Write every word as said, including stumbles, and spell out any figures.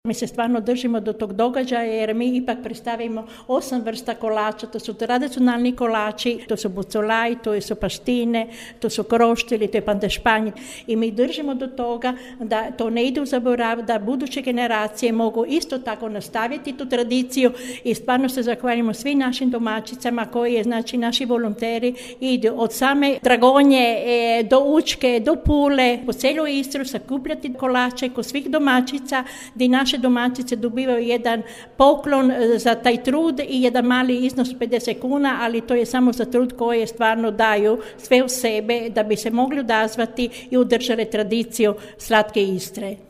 Mi se stvarno držimo do tog događaja jer mi ipak predstavimo osam vrsta kolača, to su tradicionalni kolači, to su bucolaj, to su paštine, to su kroštili, to je pandešpanj i mi držimo do toga da to ne ide u zaborav, da buduće generacije mogu isto tako nastaviti tu tradiciju i stvarno se zahvaljujemo svim našim domaćicama koji je, znači naši volonteri idu od same Dragonje e, do Učke, do Pule, po cijelu Istru sakupljati kolače kod svih domaćica gdje naše domaćice dobivaju jedan poklon za taj trud i jedan mali iznos pedeset kuna, ali to je samo za trud koje stvarno daju sve u sebe da bi se mogli odazvati i udržali tradiciju slatke Istre.